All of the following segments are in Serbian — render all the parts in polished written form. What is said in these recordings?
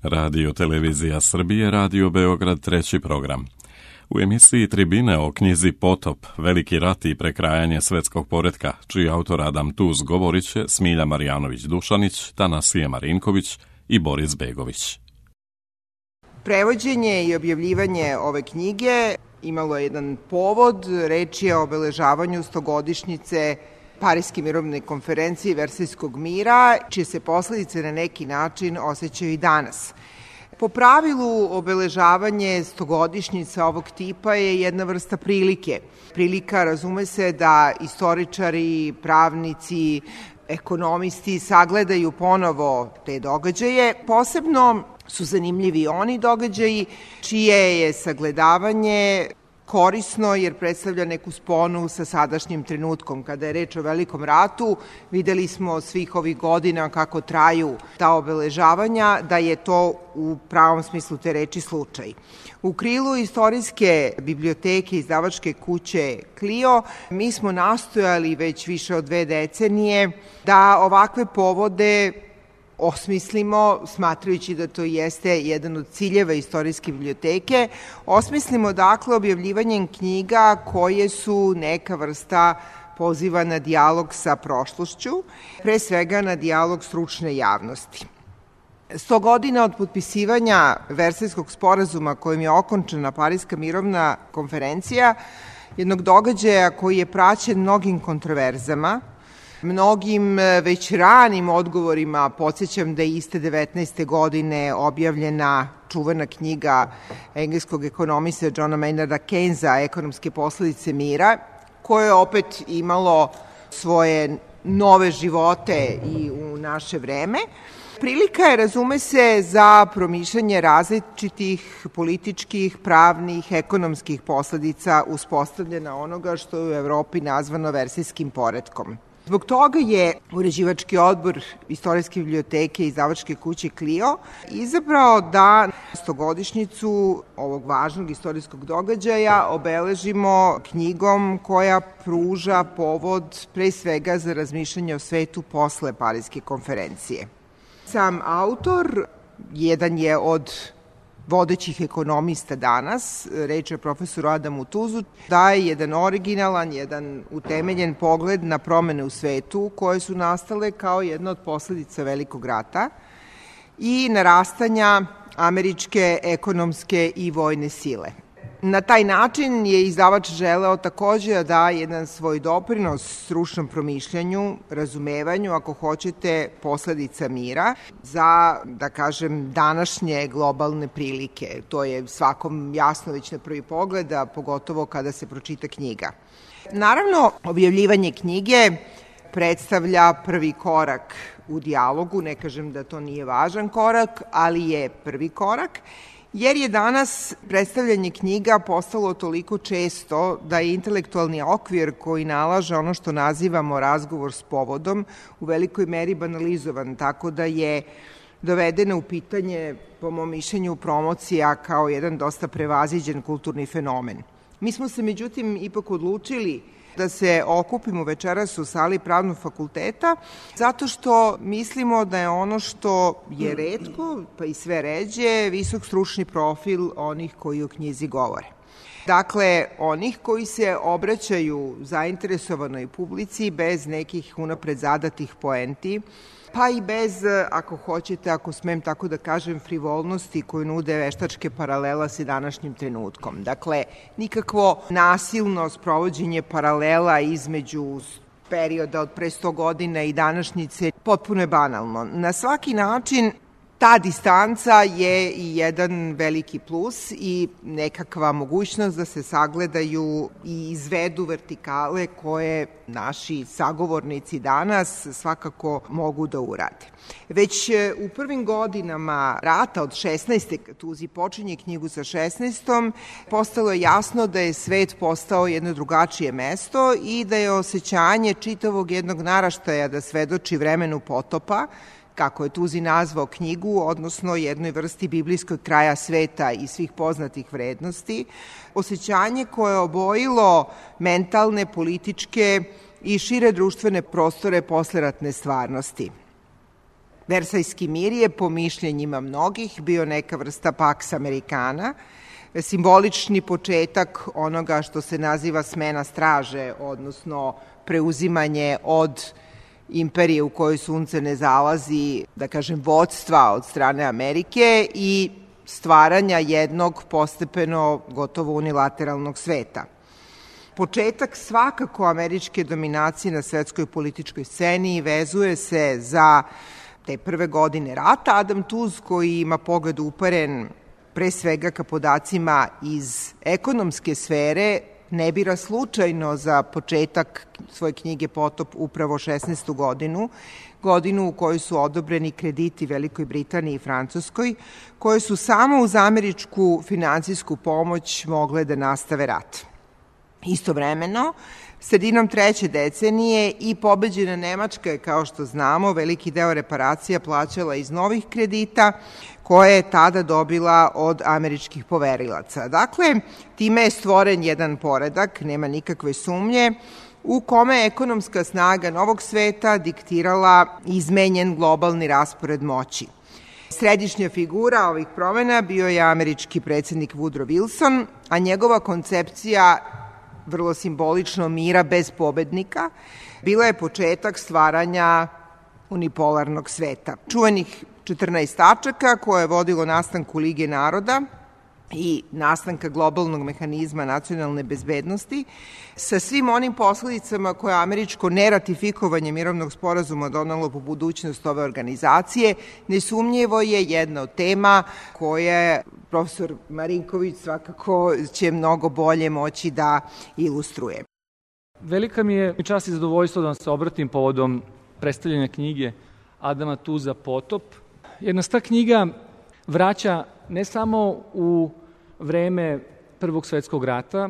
Radio Televizija Srbije, Radio Beograd, treći program. U emisiji Tribine o knjizi Potop, Veliki rat i prekrajanje svetskog poretka, čiji autor Adam Tuz govorit će Smilja Marjanović-Dušanić, Tanasije Marinković i Boris Begović. Prevođenje i objavljivanje ove knjige imalo je jedan povod. Reč je o obeležavanju 100-godišnjice Pariske mirovne konferencije Versajskog mira, čije se posledice na neki način osjećaju i danas. Po pravilu, obeležavanje 100-godišnjica ovog tipa je jedna vrsta prilike. Prilika, razume se, da istoričari, pravnici, ekonomisti sagledaju ponovo te događaje. Posebno su zanimljivi oni događaji čije je sagledavanje korisno jer predstavlja neku sponu sa sadašnjim trenutkom. Kada je reč o Velikom ratu, videli smo svih ovih godina kako traju ta obeležavanja, da je to u pravom smislu te reči slučaj. U krilu istorijske biblioteke izdavačke kuće Clio mi smo nastojali već više od 2 decenije da ovakve povode osmislimo, smatrajući da to jeste jedan od ciljeva istorijske biblioteke, osmislimo dakle objavljivanjem knjiga koje su neka vrsta poziva na dijalog sa prošlošću, pre svega na dijalog stručne javnosti. 100 godina od potpisivanja Versajskog sporazuma kojim je okončana Pariska mirovna konferencija, jednog događaja koji je praćen mnogim kontroverzama, mnogim već ranim odgovorima. Podsjećam da je iste 19. godine objavljena čuvena knjiga engleskog ekonomista Johna Maynarda Keynesa Ekonomske posledice mira, koje je opet imalo svoje nove živote i u naše vreme. Prilika je, razume se, za promišljanje različitih političkih, pravnih, ekonomskih posledica uspostavljena onoga što je u Evropi nazvano Versajskim poretkom. Zbog toga je uređivački odbor istorijske biblioteke i izdavačke kuće Clio izabrao da 100-godišnjicu ovog važnog istorijskog događaja obeležimo knjigom koja pruža povod pre svega za razmišljanje o svetu posle Pariske konferencije. Sam autor jedan je od vodećih ekonomista danas, reč je o profesoru Adamu Tuzu, daje jedan originalan, jedan utemeljen pogled na promene u svetu koje su nastale kao jedna od posledica Velikog rata i narastanja američke ekonomske i vojne sile. Na taj način je izdavač želeo takođe da da jedan svoj doprinos stručnom promišljanju, razumevanju, ako hoćete, posledica mira za, da kažem, današnje globalne prilike. To je svakom jasno već na prvi pogled, a pogotovo kada se pročita knjiga. Naravno, objavljivanje knjige predstavlja prvi korak u dijalogu, ne kažem da to nije važan korak, ali je prvi korak, jer je danas predstavljanje knjiga postalo toliko često da je intelektualni okvir koji nalaže ono što nazivamo razgovor s povodom u velikoj meri banalizovan, tako da je dovedena u pitanje, po mom mišljenju, promocija kao jedan dosta prevaziđen kulturni fenomen. Mi smo se, međutim, ipak odlučili da se okupimo večeras u sali Pravnog fakulteta, zato što mislimo da je ono što je retko, pa i sve ređe, visok stručni profil onih koji o knjizi govore. Dakle, onih koji se obraćaju zainteresovanoj publici bez nekih unapred zadatih poenti, pa i bez, ako hoćete, ako smem tako da kažem, frivolnosti koju nude veštačke paralela sa današnjim trenutkom. Dakle, nikakvo nasilno sprovođenje paralela između perioda od pre 100 godina i današnjice potpuno je banalno. Na svaki način ta distanca je i jedan veliki plus i nekakva mogućnost da se sagledaju i izvedu vertikale koje naši sagovornici danas svakako mogu da urade. Već u prvim godinama rata od 16. kad Tuzi počinje knjigu sa 16. postalo je jasno da je svet postao jedno drugačije mesto i da je osjećanje čitavog jednog naraštaja da svedoči vremenu potopa, kako je Tuzi nazvao knjigu, odnosno jednoj vrsti biblijskog kraja sveta i svih poznatih vrednosti, osjećanje koje je obojilo mentalne, političke i šire društvene prostore posleratne stvarnosti. Versajski mir je, po mišljenjima mnogih, bio neka vrsta Pax Americana, simbolični početak onoga što se naziva smena straže, odnosno preuzimanje od imperije u kojoj sunce ne zalazi, da kažem, vodstva od strane Amerike i stvaranja jednog postepeno gotovo unilateralnog sveta. Početak svakako američke dominacije na svetskoj političkoj sceni vezuje se za te prve godine rata. Adam Tooze, koji ima pogled uperen pre svega ka podacima iz ekonomske sfere, ne bira slučajno za početak svoje knjige Potop upravo 16. godinu u kojoj su odobreni krediti Velikoj Britaniji i Francuskoj, koje su samo uz američku finansijsku pomoć mogle da nastave rat. Istovremeno, sredinom treće decenije i pobeđena Nemačka je, kao što znamo, veliki deo reparacija plaćala iz novih kredita koje je tada dobila od američkih poverilaca. Dakle, time je stvoren jedan poredak, nema nikakve sumnje, u kome je ekonomska snaga novog sveta diktirala izmenjen globalni raspored moći. Središnja figura ovih promena bio je američki predsednik Woodrow Wilson, a njegova koncepcija, vrlo simbolično, mira bez pobednika, bila je početak stvaranja unipolarnog sveta. Čuvenih 14 tačaka koje je vodilo nastanku Lige naroda i nastanka globalnog mehanizma nacionalne bezbednosti, sa svim onim posledicama koje američko neratifikovanje mirovnog sporazuma donelo po budućnost ove organizacije, nesumnjivo je jedna od tema koje profesor Marinković svakako će mnogo bolje moći da ilustruje. Velika mi je čast i zadovoljstvo da vam se obratim povodom predstavljanja knjige Adama Toosea Potop. Jer nas ta knjiga vraća ne samo u vreme Prvog svetskog rata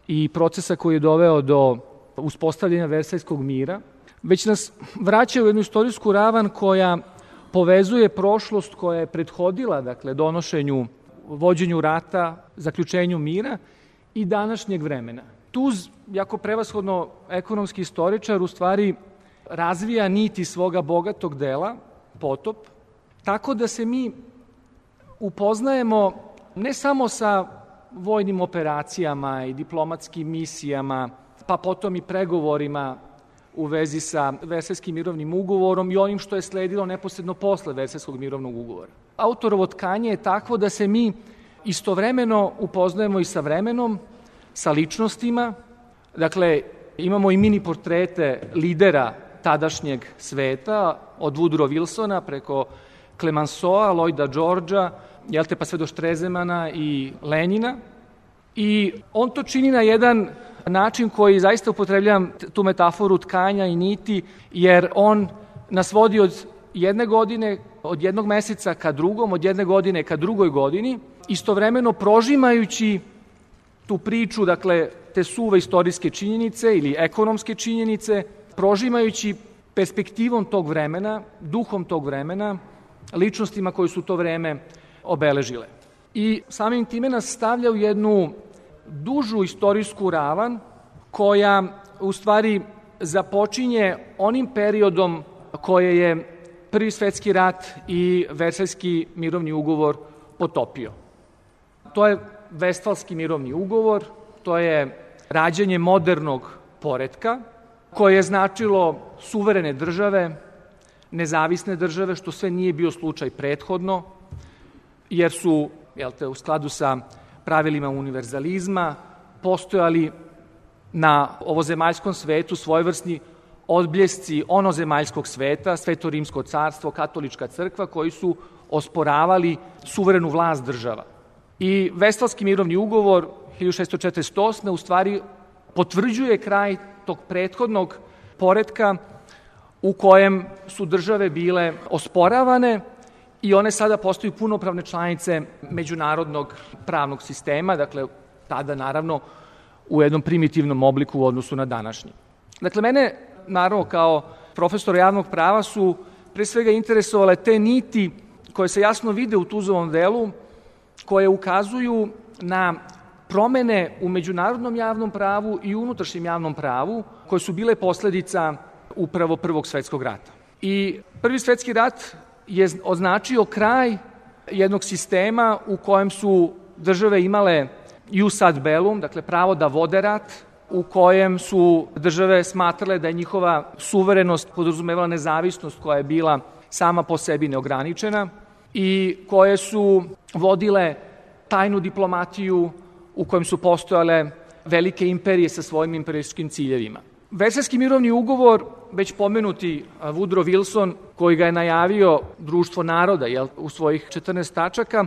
i procesa koji je doveo do uspostavljanja Versajskog mira, već nas vraća u jednu istorijsku ravan koja povezuje prošlost koja je prethodila, dakle, donošenju, vođenju rata, zaključenju mira i današnjeg vremena. Tooze, jako prevashodno ekonomski istoričar, u stvari razvija niti svoga bogatog dela, Potop, tako da se mi upoznajemo ne samo sa vojnim operacijama i diplomatskim misijama, pa potom i pregovorima u vezi sa Versajskim mirovnim ugovorom i onim što je sledilo neposredno posle Versajskog mirovnog ugovora. Autorovo tkanje je takvo da se mi istovremeno upoznajemo i sa vremenom, sa ličnostima. Dakle, imamo i mini portrete lidera tadašnjeg sveta, od Woodrow Wilsona preko Clemenceaua, Lloyda Georgea, pa sve do Štrezemana i Lenjina. I on to čini na jedan način koji zaista upotrebljavam tu metaforu tkanja i niti, jer on nas vodi od jedne godine, od jednog meseca ka drugom, od jedne godine ka drugoj godini, istovremeno prožimajući tu priču, dakle, te suve istorijske činjenice ili ekonomske činjenice, prožimajući perspektivom tog vremena, duhom tog vremena, ličnostima koji su to vreme obeležile. I samim time nas stavlja u jednu dužu istorijsku ravan koja u stvari započinje onim periodom koje je Prvi svetski rat i Versajski mirovni ugovor potopio. To je Vestfalski mirovni ugovor, to je rađanje modernog poretka koje je značilo suverene države, nezavisne države, što sve nije bio slučaj prethodno, jer su, u skladu sa pravilima univerzalizma, postojali na ovozemaljskom svetu svojevrsni odbljesci onozemaljskog sveta, Sveto rimsko carstvo, katolička crkva, koji su osporavali suverenu vlast država. I Vestfalski mirovni ugovor 1648. u stvari potvrđuje kraj tog prethodnog poretka u kojem su države bile osporavane i one sada postaju punopravne članice međunarodnog pravnog sistema, dakle, tada naravno u jednom primitivnom obliku u odnosu na današnji. Dakle, mene, naravno, kao profesora javnog prava su pre svega interesovale te niti koje se jasno vide u Toozeovom delu, koje ukazuju na promene u međunarodnom javnom pravu i unutrašnjem javnom pravu, koje su bile posledica upravo Prvog svetskog rata. I Prvi svetski rat je označio kraj jednog sistema u kojem su države imale ius ad bellum, dakle pravo da vode rat, u kojem su države smatrale da je njihova suverenost podrazumevala nezavisnost koja je bila sama po sebi neograničena i koje su vodile tajnu diplomatiju u kojem su postojale velike imperije sa svojim imperijskim ciljevima. Versajski mirovni ugovor, već pomenuti Woodrow Wilson, koji ga je najavio Društvo naroda u svojih 14 tačaka,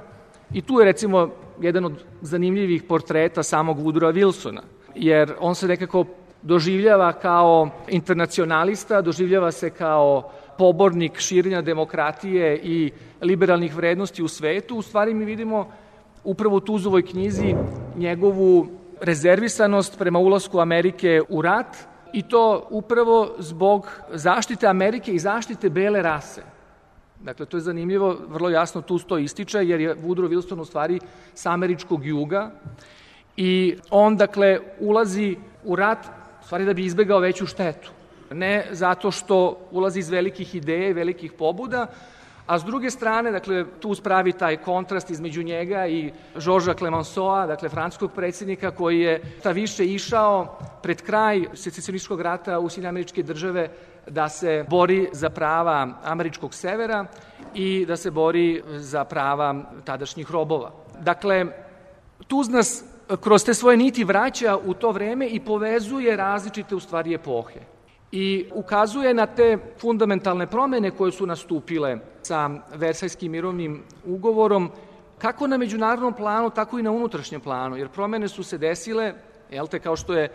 i tu je recimo jedan od zanimljivih portreta samog Woodrowa Wilsona, jer on se nekako doživljava kao internacionalista, doživljava se kao pobornik širenja demokratije i liberalnih vrednosti u svetu. U stvari mi vidimo upravo u Tuzovoj knjizi njegovu rezervisanost prema ulasku Amerike u rat, i to upravo zbog zaštite Amerike i zaštite bele rase. Dakle, to je zanimljivo, vrlo jasno tu to ističe, jer je Woodrow Wilson u stvari sa američkog juga i on, dakle, ulazi u rat u stvari da bi izbegao veću štetu. Ne zato što ulazi iz velikih ideja i velikih pobuda, a s druge strane, dakle, tu spravi taj kontrast između njega i Georgesa Clemenceau, dakle, francuskog predsjednika, koji je ta više išao pred kraj secesionističkog rata u Sjedinjene Američke Države da se bori za prava američkog severa i da se bori za prava tadašnjih robova. Dakle, Tuz nas kroz te svoje niti vraća u to vreme i povezuje različite u stvari epohe. I ukazuje na te fundamentalne promene koje su nastupile sa Versajskim mirovnim ugovorom, kako na međunarodnom planu, tako i na unutrašnjem planu, jer promene su se desile, kao što je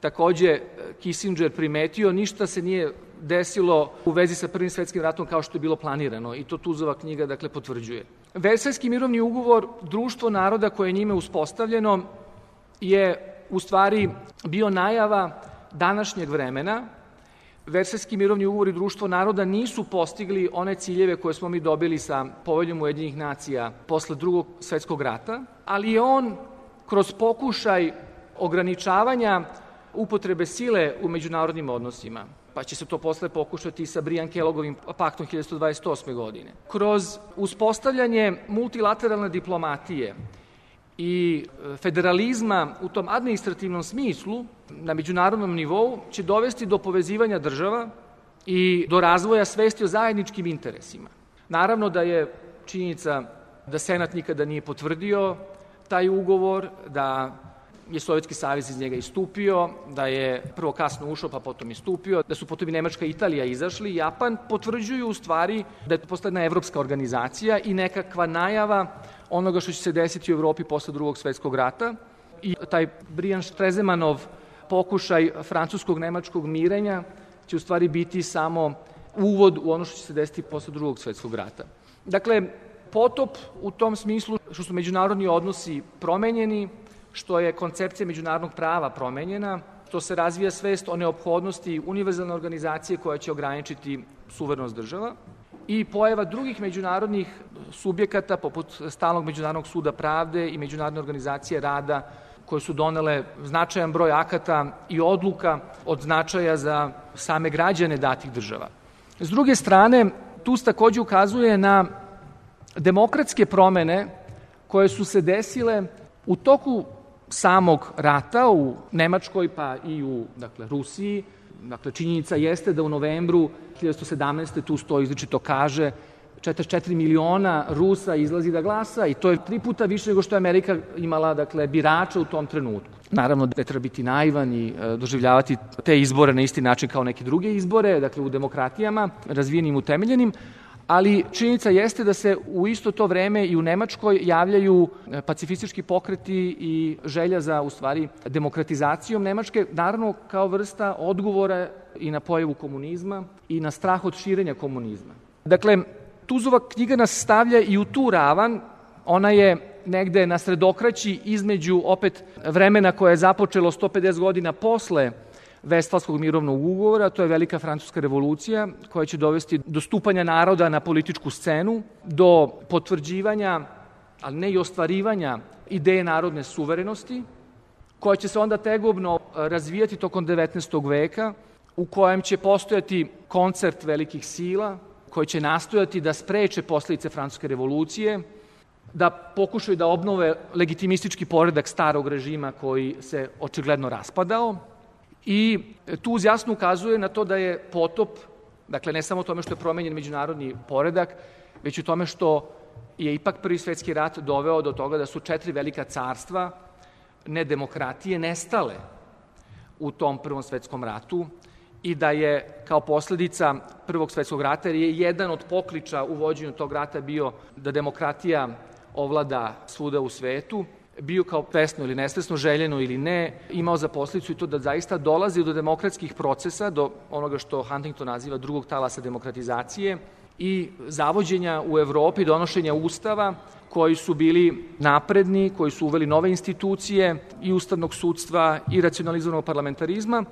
takođe Kissinger primetio, ništa se nije desilo u vezi sa Prvim svetskim ratom kao što je bilo planirano, i to Tuzova knjiga, dakle, potvrđuje. Versajski mirovni ugovor, Društvo naroda koje je njime uspostavljeno, je u stvari bio najava današnjeg vremena. Versajski mirovni ugovor i Društvo naroda nisu postigli one ciljeve koje smo mi dobili sa Poveljom Ujedinjenih nacija posle Drugog svetskog rata, ali je on kroz pokušaj ograničavanja upotrebe sile u međunarodnim odnosima, pa će se to posle pokušati sa Brian-Kellogovim paktom 1928. godine. Kroz uspostavljanje multilateralne diplomatije i federalizma u tom administrativnom smislu na međunarodnom nivou će dovesti do povezivanja država i do razvoja svesti o zajedničkim interesima. Naravno da je činjenica da Senat nikada nije potvrdio taj ugovor, da je Sovjetski savez iz njega istupio, da je prvo kasno ušao pa potom istupio, da su potom i Nemačka i Italija izašli. Japan potvrđuju u stvari da je to postala jedna evropska organizacija i nekakva najava onoga što će se desiti u Evropi posle Drugog svetskog rata. I taj Brian Stresemannov pokušaj francuskog-nemačkog mirenja će u stvari biti samo uvod u ono što će se desiti posle Drugog svetskog rata. Dakle, potop u tom smislu što su međunarodni odnosi promenjeni, što je koncepcija međunarodnog prava promenjena, što se razvija svest o neophodnosti univerzalne organizacije koja će ograničiti suverenost država i pojava drugih međunarodnih subjekata poput Stalnog međunarodnog suda pravde i Međunarodne organizacije rada koje su donele značajan broj akata i odluka od značaja za same građane datih država. S druge strane, tu takođe ukazuje na demokratske promene koje su se desile u toku samog rata u Nemačkoj pa i u Rusiji. Činjenica jeste da u novembru 1917. tu stoji izričito kaže 44 miliona Rusa izlazi da glasa i to je 3 puta više nego što je Amerika imala birača u tom trenutku. Naravno da treba biti naivan i doživljavati te izbore na isti način kao neke druge izbore, u demokratijama, razvijenim, utemeljenim, ali činjenica jeste da se u isto to vreme i u Nemačkoj javljaju pacifistički pokreti i želja za, u stvari, demokratizacijom Nemačke, naravno kao vrsta odgovora i na pojavu komunizma i na strah od širenja komunizma. Dakle, Tuzova knjiga nas stavlja i u tu ravan, ona je negde na sredokraći između opet vremena koje je započelo 150 godina posle Vestfalskog mirovnog ugovora, to je Velika francuska revolucija koja će dovesti do stupanja naroda na političku scenu, do potvrđivanja, ali ne i ostvarivanja ideje narodne suverenosti, koja će se onda tegobno razvijati tokom 19. veka, u kojem će postojati koncert velikih sila, koji će nastojati da spreče posljedice Francuske revolucije, da pokušaju da obnove legitimistički poredak starog režima koji se očigledno raspadao. I Tuz jasno ukazuje na to da je potop, dakle ne samo u tome što je promenjen međunarodni poredak, već u tome što je ipak Prvi svetski rat doveo do toga da su 4 velika carstva, ne demokratije, nestale u tom Prvom svetskom ratu i da je kao posljedica Prvog svetskog rata, jer je jedan od pokliča u vođenju tog rata bio da demokratija ovlada svuda u svetu, bio kao svesno ili nesvesno, željeno ili ne, imao za posljedicu i to da zaista dolazi do demokratskih procesa, do onoga što Huntington naziva drugog talasa demokratizacije i zavođenja u Evropi, donošenja ustava koji su bili napredni, koji su uveli nove institucije i ustavnog sudstva i racionalizovanog parlamentarizma.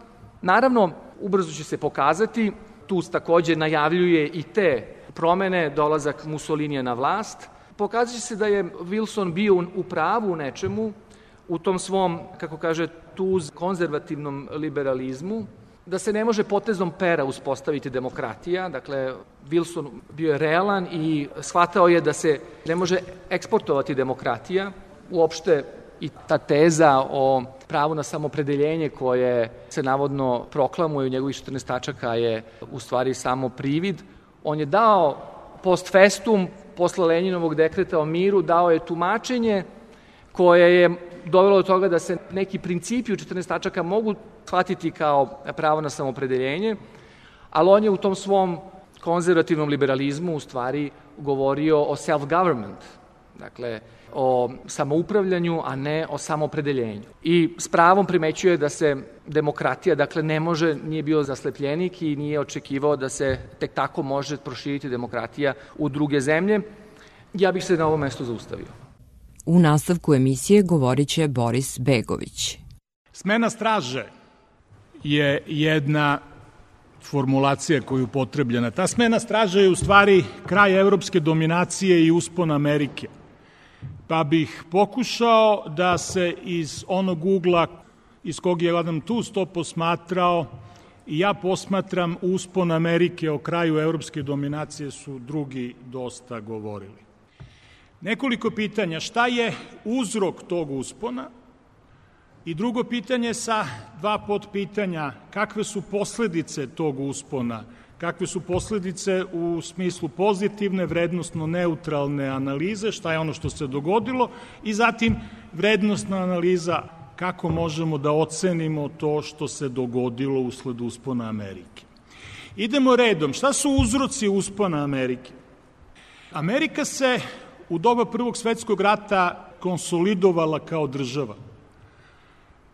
Naravno, ubrzo će se pokazati, Tuz takođe najavljuje i te promene, dolazak Mussolinija na vlast. Pokazat će se da je Wilson bio u pravu u nečemu, u tom svom, kako kaže Tuz, konzervativnom liberalizmu, da se ne može potezom pera uspostaviti demokratija. Dakle, Wilson bio je realan i shvatao je da se ne može eksportovati demokratija. Uopšte i ta teza o pravu na samopredeljenje koje se navodno proklamuje u njegovih 14 tačaka je u stvari samo privid. On je dao post festum, posle Lenjinovog dekreta o miru, dao je tumačenje koje je dovelo do toga da se neki principi u 14 tačaka mogu shvatiti kao pravo na samopredeljenje, ali on je u tom svom konzervativnom liberalizmu u stvari govorio o self-government, dakle o samoupravljanju, a ne o samopredeljenju. I s pravom primećuje da se demokratija, dakle ne može, nije bio zaslepljenik i nije očekivao da se tek tako može proširiti demokratija u druge zemlje. Ja bih se na ovom mestu zaustavio. U nastavku emisije govorit će Boris Begović. Smena straže je jedna formulacija koja je upotrebljena. Ta smena straže je u stvari kraj evropske dominacije i uspon Amerike. Pa bih pokušao da se iz onog ugla iz kog je Adam Tuz to posmatrao i ja posmatram uspon Amerike, o kraju evropske dominacije su drugi dosta govorili. Nekoliko pitanja, šta je uzrok tog uspona? I drugo pitanje sa 2 podpitanja, kakve su posledice tog uspona? Kakve su posledice u smislu pozitivne, vrednostno neutralne analize, šta je ono što se dogodilo, i zatim vrednostna analiza kako možemo da ocenimo to što se dogodilo usled uspona Amerike. Idemo redom, šta su uzroci uspona Amerike? Amerika se u doba Prvog svetskog rata konsolidovala kao država.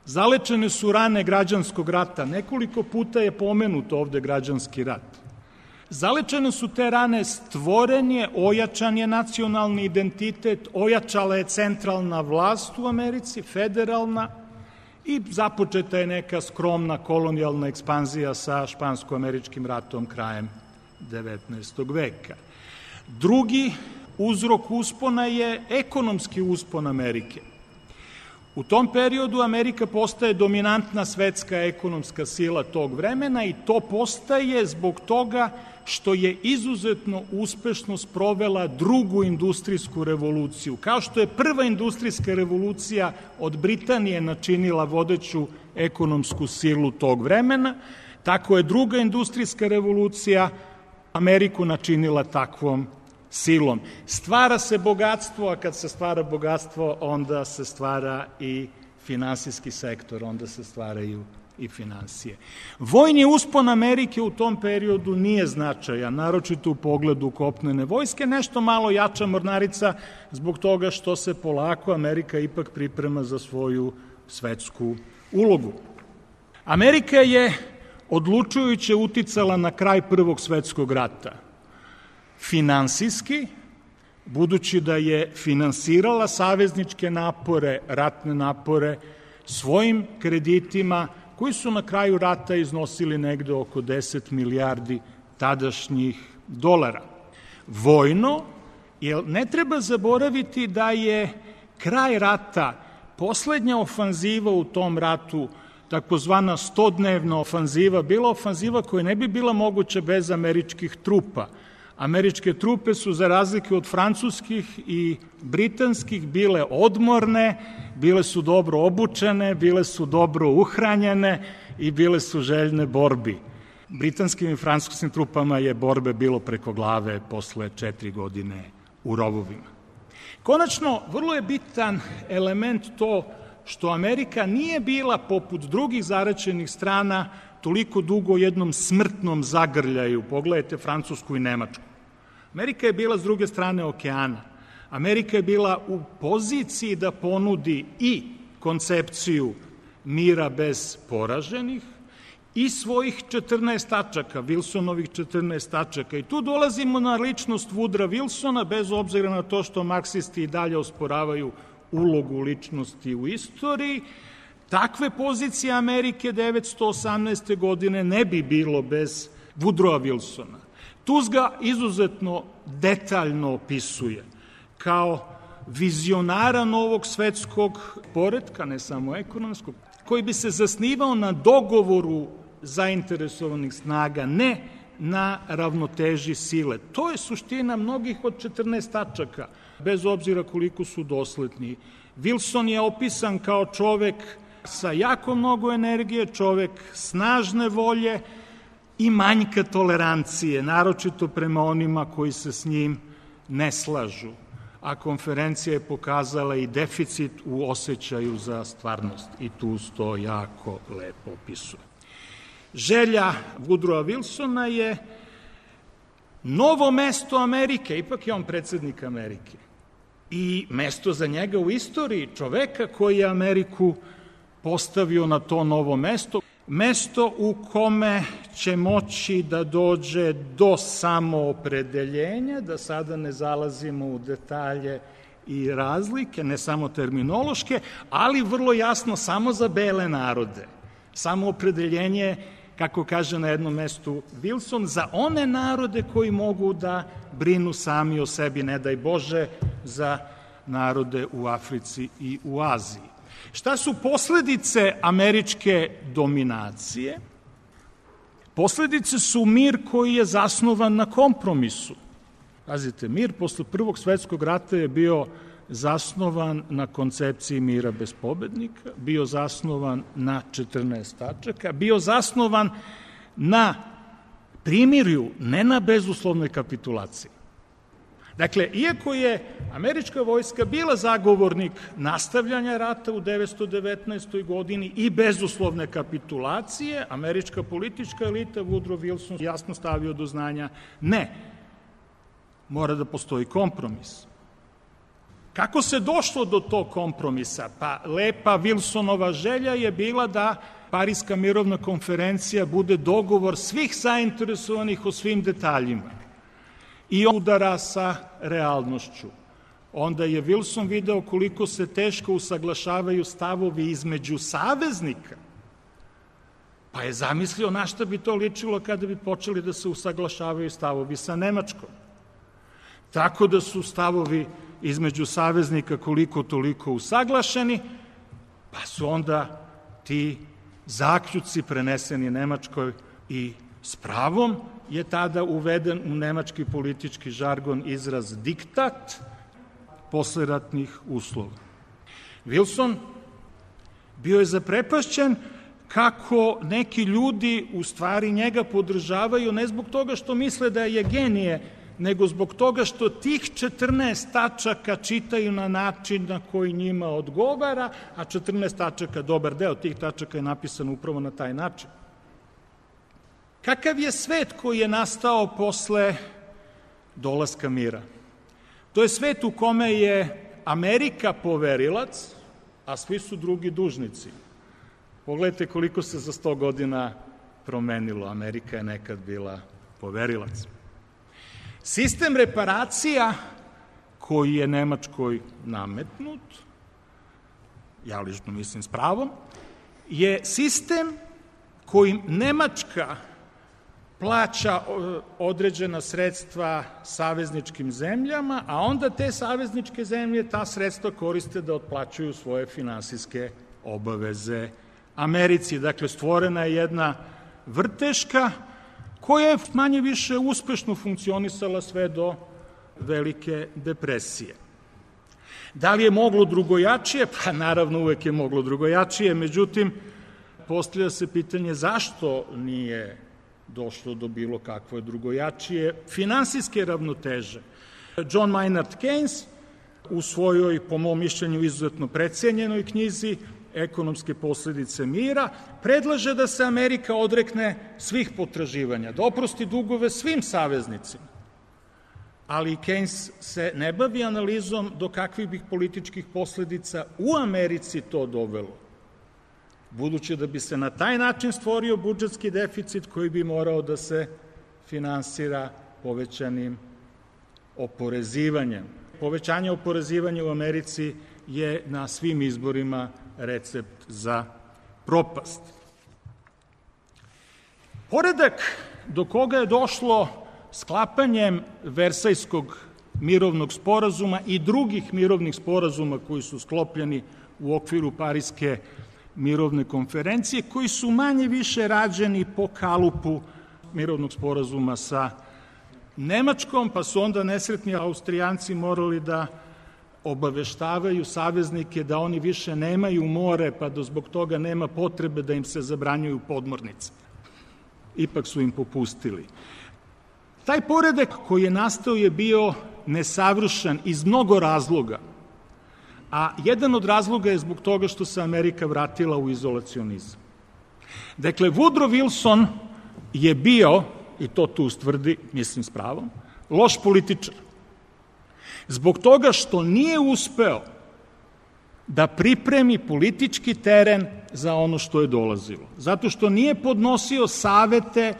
Zalečene su rane građanskog rata. Nekoliko puta je pomenut ovde građanski rat. Zalečene su te rane, stvoren je, ojačan je nacionalni identitet, ojačala je centralna vlast u Americi, federalna, i započeta je neka skromna kolonijalna ekspanzija sa špansko-američkim ratom krajem 19. veka. Drugi uzrok uspona je ekonomski uspon Amerike. U tom periodu Amerika postaje dominantna svetska ekonomska sila tog vremena i to postaje zbog toga što je izuzetno uspešno sprovela drugu industrijsku revoluciju. Kao što je prva industrijska revolucija od Britanije načinila vodeću ekonomsku silu tog vremena, tako je druga industrijska revolucija Ameriku načinila takvom silom. Stvara se bogatstvo, a kad se stvara bogatstvo, onda se stvara i finansijski sektor, onda se stvaraju i finansije. Vojni uspon Amerike u tom periodu nije značajan, naročito u pogledu kopnene vojske, nešto malo jača mornarica zbog toga što se polako Amerika ipak priprema za svoju svetsku ulogu. Amerika je odlučujuće uticala na kraj Prvog svetskog rata. Finansijski, budući da je finansirala savezničke napore, ratne napore, svojim kreditima, koji su na kraju rata iznosili negde oko 10 milijardi tadašnjih dolara. Vojno, jer ne treba zaboraviti da je kraj rata, poslednja ofanziva u tom ratu, takozvana 100-dnevna ofanziva, bila ofanziva koja ne bi bila moguća bez američkih trupa, Američke trupe su, za razliku od francuskih i britanskih, bile odmorne, bile su dobro obučene, bile su dobro uhranjene i bile su željne borbi. Britanskim i francuskim trupama je borbe bilo preko glave posle 4 godine u rovovima. Konačno, vrlo je bitan element to što Amerika nije bila, poput drugih zaraćenih strana, toliko dugo u jednom smrtnom zagrljaju. Pogledajte Francusku i Nemačku. Amerika je bila s druge strane okeana. Amerika je bila u poziciji da ponudi i koncepciju mira bez poraženih i svojih 14 tačaka, Wilsonovih 14 tačaka. I tu dolazimo na ličnost Woodrowa Wilsona, bez obzira na to što marksisti i dalje osporavaju ulogu ličnosti u istoriji. Takve pozicije Amerike 1918. godine ne bi bilo bez Woodrowa Wilsona. Tuz ga izuzetno detaljno opisuje kao vizionara novog svetskog poretka, ne samo ekonomskog, koji bi se zasnivao na dogovoru zainteresovanih snaga, ne na ravnoteži sile. To je suština mnogih od 14 tačaka, bez obzira koliko su dosledni. Wilson je opisan kao čovek sa jako mnogo energije, čovek snažne volje i manjka tolerancije, naročito prema onima koji se s njim ne slažu. A konferencija je pokazala i deficit u osjećaju za stvarnost i tu to jako lepo opisuje. Želja Woodrowa Wilsona je novo mesto Amerike, ipak je on predsednik Amerike, i mesto za njega u istoriji, čoveka koji je Ameriku postavio na to novo mesto, mesto u kome će moći da dođe do samoopredeljenja, da sada ne zalazimo u detalje i razlike, ne samo terminološke, ali vrlo jasno samo za bele narode. Samoopredeljenje, kako kaže na jednom mestu Wilson, za one narode koji mogu da brinu sami o sebi, ne daj Bože, za narode u Africi i u Aziji. Šta su posledice američke dominacije? Posledice su mir koji je zasnovan na kompromisu. Pazite, mir posle Prvog svetskog rata je bio zasnovan na koncepciji mira bez pobednika, bio zasnovan na 14 tačaka, bio zasnovan na primirju, ne na bezuslovnoj kapitulaciji. Dakle, iako je američka vojska bila zagovornik nastavljanja rata u 1919. godini i bezuslovne kapitulacije, američka politička elita, Woodrow Wilson jasno stavio do znanja, ne, mora da postoji kompromis. Kako se došlo do tog kompromisa? Pa lepa Wilsonova želja je bila da Pariska mirovna konferencija bude dogovor svih zainteresovanih o svim detaljima i udara sa realnošću. Onda je Wilson video koliko se teško usaglašavaju stavovi između saveznika, pa je zamislio na šta bi to ličilo kada bi počeli da se usaglašavaju stavovi sa Nemačkom. Tako da su stavovi između saveznika koliko toliko usaglašeni, pa su onda ti zaključci preneseni Nemačkoj i s pravom je tada uveden u nemački politički žargon izraz diktat posleratnih uslova. Wilson bio je zaprepašćen kako neki ljudi u stvari njega podržavaju ne zbog toga što misle da je genije, nego zbog toga što tih 14 tačaka čitaju na način na koji njima odgovara, a 14 tačaka, dobar deo tih tačaka je napisan upravo na taj način. Kakav je svet koji je nastao posle dolaska mira? To je svet u kome je Amerika poverilac, a svi su drugi dužnici. Pogledajte koliko se za 100 godina promenilo. Amerika je nekad bila poverilac. Sistem reparacija koji je Nemačkoj nametnut, ja lično mislim s pravom, je sistem kojim Nemačka plaća određena sredstva savezničkim zemljama, a onda te savezničke zemlje ta sredstva koriste da otplaćuju svoje finansijske obaveze Americi. Dakle, stvorena je jedna vrteška koja je manje više uspešno funkcionisala sve do Velike depresije. Da li je moglo drugojačije? Pa naravno uvek je moglo drugojačije, međutim, postavlja se pitanje zašto nije došlo do bilo kakve drugojačije finansijske ravnoteže. John Maynard Keynes u svojoj, po mom mišljenju, izuzetno precenjenoj knjizi Ekonomske posledice mira, predlaže da se Amerika odrekne svih potraživanja, da oprosti dugove svim saveznicima. Ali Keynes se ne bavi analizom do kakvih bi političkih posledica u Americi to dovelo, budući da bi se na taj način stvorio budžetski deficit koji bi morao da se finansira povećanim oporezivanjem. Povećanje oporezivanja u Americi je na svim izborima recept za propast. Poredak do koga je došlo sklapanjem Versajskog mirovnog sporazuma i drugih mirovnih sporazuma koji su sklopljeni u okviru Pariske mirovne konferencije, koji su manje više rađeni po kalupu mirovnog sporazuma sa Nemačkom, pa su onda nesretni Austrijanci morali da obaveštavaju saveznike da oni više nemaju more, pa da zbog toga nema potrebe da im se zabranjuju podmornice. Ipak su im popustili. Taj poredak koji je nastao je bio nesavršen iz mnogo razloga, a jedan od razloga je zbog toga što se Amerika vratila u izolacionizam. Dakle, Woodrow Wilson je bio, i to tu ustvrdi, mislim s pravom, loš političar. Zbog toga što nije uspeo da pripremi politički teren za ono što je dolazilo. Zato što nije podnosio savete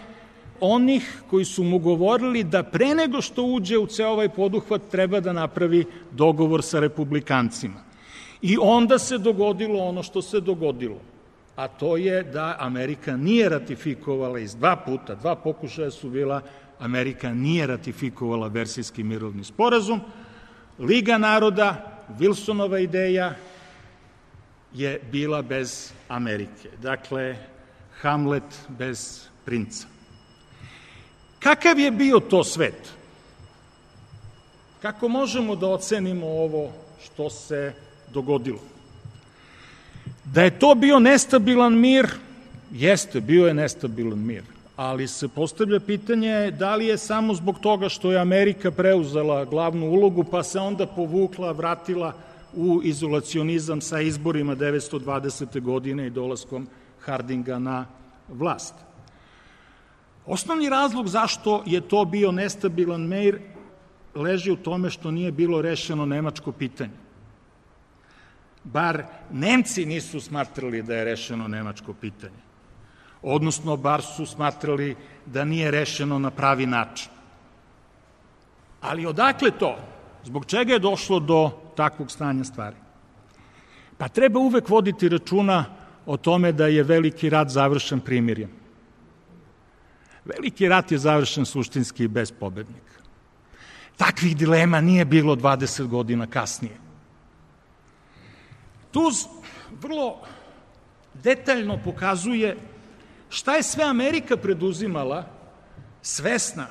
onih koji su mu govorili da pre nego što uđe u ceo ovaj poduhvat treba da napravi dogovor sa republikancima. I onda se dogodilo ono što se dogodilo, a to je da Amerika nije ratifikovala iz dva pokušaja su bila, Amerika nije ratifikovala Versajski mirovni sporazum. Liga naroda, Wilsonova ideja je bila bez Amerike. Dakle, Hamlet bez princa. Kakav je bio to svet? Kako možemo da ocenimo ovo što se dogodilo? Da je to bio nestabilan mir, jeste, bio je nestabilan mir, ali se postavlja pitanje da li je samo zbog toga što je Amerika preuzela glavnu ulogu, pa se onda povukla, vratila u izolacionizam sa izborima 1920. godine i dolaskom Hardinga na vlast. Osnovni razlog zašto je to bio nestabilan mir leži u tome što nije bilo rešeno nemačko pitanje. Bar Nemci nisu smatrali da je rešeno nemačko pitanje. Odnosno, bar su smatrali da nije rešeno na pravi način. Ali odakle to? Zbog čega je došlo do takvog stanja stvari? Pa treba uvek voditi računa o tome da je veliki rat završen primirjem. Veliki rat je završen suštinski bez pobednika. Takvih dilema nije bilo 20 godina kasnije. Tuz vrlo detaljno pokazuje šta je sve Amerika preduzimala, svesna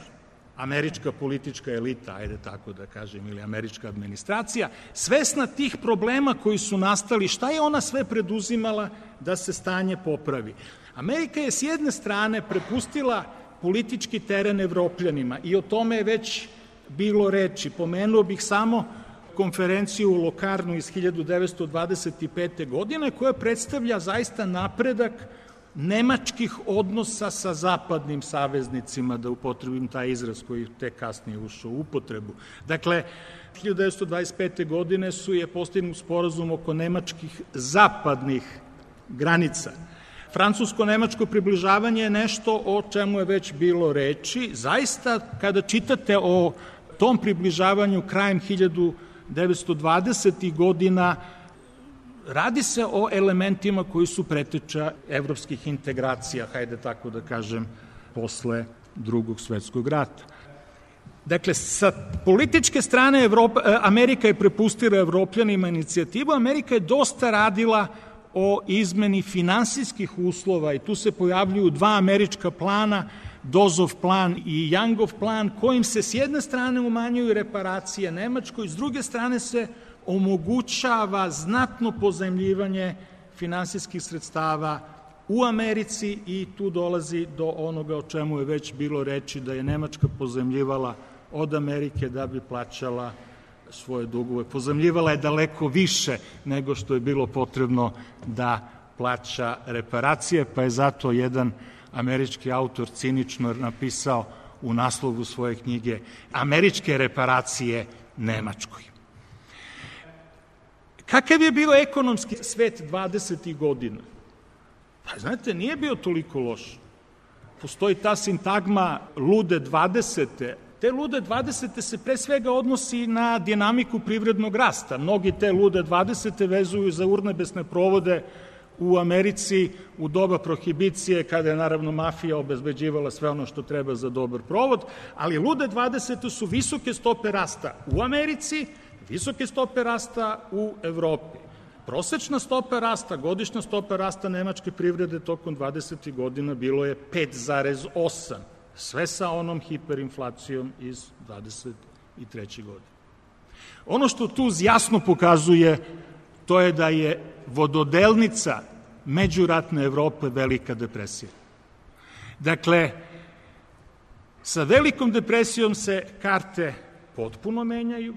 američka politička elita, ajde tako da kažem, ili američka administracija, svesna tih problema koji su nastali, šta je ona sve preduzimala da se stanje popravi. Amerika je s jedne strane prepustila politički teren Evropljanima i o tome je već bilo reči. Pomenuo bih samo konferenciju u Lokarnu iz 1925. godine koja predstavlja zaista napredak nemačkih odnosa sa zapadnim saveznicima, da upotrebim taj izraz koji tek kasnije ušao u upotrebu. Dakle, 1925. godine je postignut sporazum oko nemačkih zapadnih granica. Francusko-nemačko približavanje je nešto o čemu je već bilo reči. Zaista, kada čitate o tom približavanju krajem 1920. godina, radi se o elementima koji su preteča evropskih integracija, hajde tako da kažem, posle Drugog svetskog rata. Dakle, sa političke strane Amerika je prepustila Evropljanima inicijativu, Amerika je dosta radila o izmeni finansijskih uslova i tu se pojavljuju dva američka plana Dozov plan i Youngov plan, kojim se s jedne strane umanjuju reparacije Nemačkoj, s druge strane se omogućava znatno pozajmljivanje finansijskih sredstava u Americi i tu dolazi do onoga o čemu je već bilo reči, da je Nemačka pozajmljivala od Amerike da bi plaćala svoje dugove. Pozajmljivala je daleko više nego što je bilo potrebno da plaća reparacije, pa je zato jedan američki autor cinično napisao u naslovu svoje knjige Američke reparacije Nemačkoj. Kakav je bio ekonomski svet 20. godina? Pa, znate, nije bio toliko loš. Postoji ta sintagma lude 20. Te lude 20. se pre svega odnosi na dinamiku privrednog rasta. Mnogi te lude 20. vezuju za urnebesne provode u Americi u doba prohibicije, kada je naravno mafija obezbeđivala sve ono što treba za dobar provod, ali lude 20. su visoke stope rasta u Americi, visoke stope rasta u Evropi. Prosečna stopa rasta, godišnja stopa rasta nemačke privrede tokom 20. godina bilo je 5,8, sve sa onom hiperinflacijom iz 23. godine. Ono što tu jasno pokazuje, to je da je vododelnica međuratne Evrope Velika depresija. Dakle, sa Velikom depresijom se karte potpuno menjaju,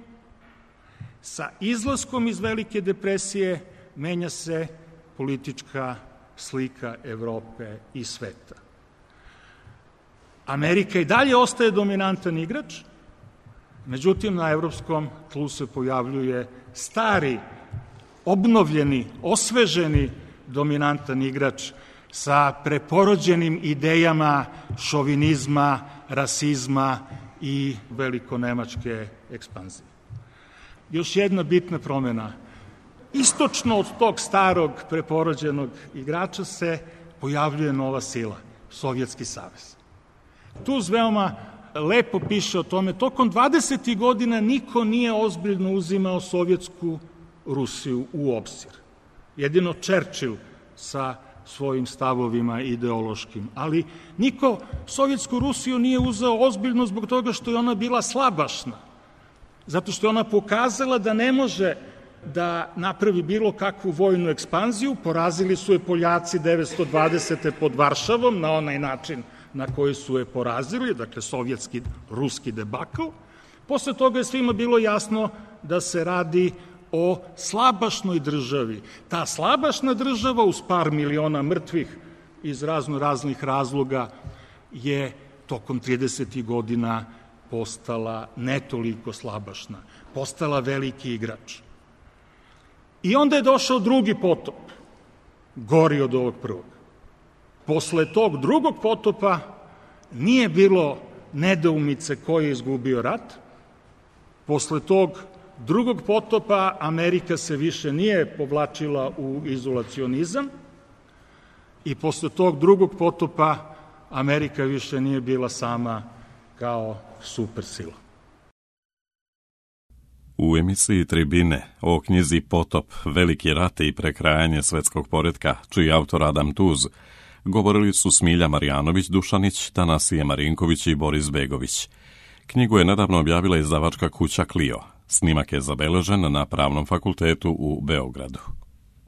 sa izlaskom iz Velike depresije menja se politička slika Evrope i sveta. Amerika i dalje ostaje dominantan igrač, međutim na evropskom tlu se pojavljuje stari, obnovljeni, osveženi dominantan igrač sa preporođenim idejama šovinizma, rasizma i velikonemačke ekspanzije. Još jedna bitna promena. Istočno od tog starog preporođenog igrača se pojavljuje nova sila, Sovjetski savez. Tuz veoma lepo piše o tome, tokom 20. godina niko nije ozbiljno uzimao Sovjetsku Rusiju u obzir. Jedino Churchill sa svojim stavovima ideološkim, ali niko Sovjetsku Rusiju nije uzeo ozbiljno zbog toga što je ona bila slabašna, zato što je ona pokazala da ne može da napravi bilo kakvu vojnu ekspanziju. Porazili su je Poljaci 920. pod Varšavom na onaj način na koji su je porazili, dakle sovjetski, ruski debakl. Posle toga je svima bilo jasno da se radi o slabašnoj državi. Ta slabašna država uz par miliona mrtvih iz raznih razloga je tokom 30. godina postala ne toliko slabašna, postala veliki igrač. I onda je došao drugi potop, gori od ovog prvog. Posle tog drugog potopa nije bilo nedoumice ko je izgubio rat. Posle tog drugog potopa Amerika se više nije povlačila u izolacionizam i posle tog drugog potopa Amerika više nije bila sama kao supersila. U emisiji Tribine o knjizi Potop, veliki rat i prekrajanje svetskog poretka, čiji autor Adam Tuz, govorili su Smilja Marjanović-Dušanić, Tanasije Marinković i Boris Begović. Knjigu je nedavno objavila izdavačka kuća Clio. Snimak je zabeležen na Pravnom fakultetu u Beogradu.